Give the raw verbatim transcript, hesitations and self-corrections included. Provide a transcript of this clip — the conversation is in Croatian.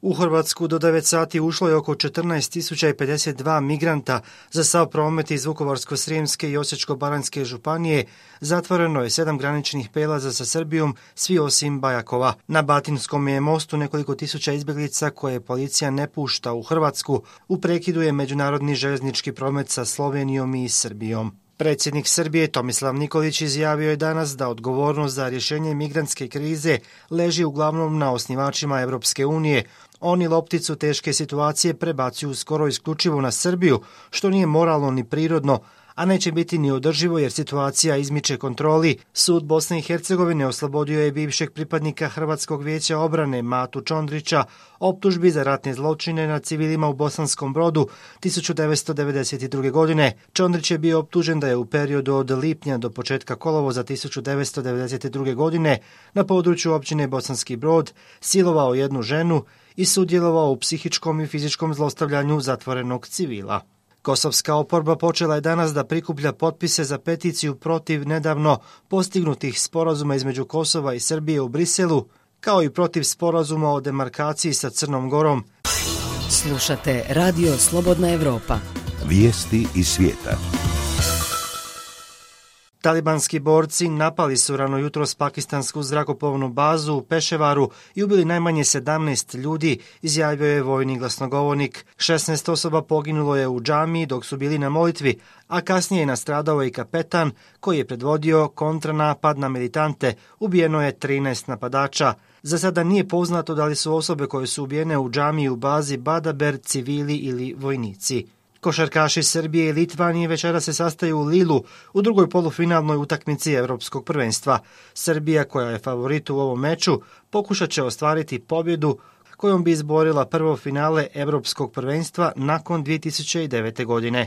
U Hrvatsku do devet sati ušlo je oko četrnaest tisuća pedeset dva migranta. Za sav promet iz Vukovarsko-srijemske i Osječko-baranjske županije zatvoreno je sedam graničnih prijelaza sa Srbijom, svi osim Bajakova. Na Batinskom je mostu nekoliko tisuća izbjeglica koje policija ne pušta u Hrvatsku. U prekidu je međunarodni željeznički promet sa Slovenijom i Srbijom. Predsjednik Srbije Tomislav Nikolić izjavio je danas da odgovornost za rješenje migrantske krize leži uglavnom na osnivačima Europske unije. Oni lopticu teške situacije prebacuju skoro isključivo na Srbiju, što nije moralno ni prirodno, a neće biti ni održivo jer situacija izmiče kontroli. Sud Bosne i Hercegovine oslobodio je bivšeg pripadnika Hrvatskog vijeća obrane Matu Čondrića optužbi za ratne zločine nad civilima u Bosanskom Brodu tisuću devetsto devedeset druge. godine. Čondrić je bio optužen da je u periodu od lipnja do početka kolovoza tisuću devetsto devedeset druge. godine na području općine Bosanski Brod silovao jednu ženu i sudjelovao u psihičkom i fizičkom zlostavljanju zatvorenog civila. Kosovska oporba počela je danas da prikuplja potpise za peticiju protiv nedavno postignutih sporazuma između Kosova i Srbije u Briselu, kao i protiv sporazuma o demarkaciji sa Crnom Gorom. Slušate Radio Slobodna Evropa. Vijesti iz svijeta. Talibanski borci napali su rano jutros pakistansku zrakoplovnu bazu u Peševaru i ubili najmanje sedamnaest ljudi, izjavio je vojni glasnogovornik. šesnaest osoba poginulo je u džamiji dok su bili na molitvi, a kasnije je nastradao i kapetan koji je predvodio kontranapad na militante. Ubijeno je trinaest napadača. Za sada nije poznato da li su osobe koje su ubijene u džamiji u bazi Badaber civili ili vojnici. Košarkaši Srbije i Litvanije večera se sastaju u Lilu u drugoj polufinalnoj utakmici Europskog prvenstva. Srbija, koja je favorit u ovom meču, pokušat će ostvariti pobjedu kojom bi izborila prvo finale Europskog prvenstva nakon dvije tisuće devete. godine.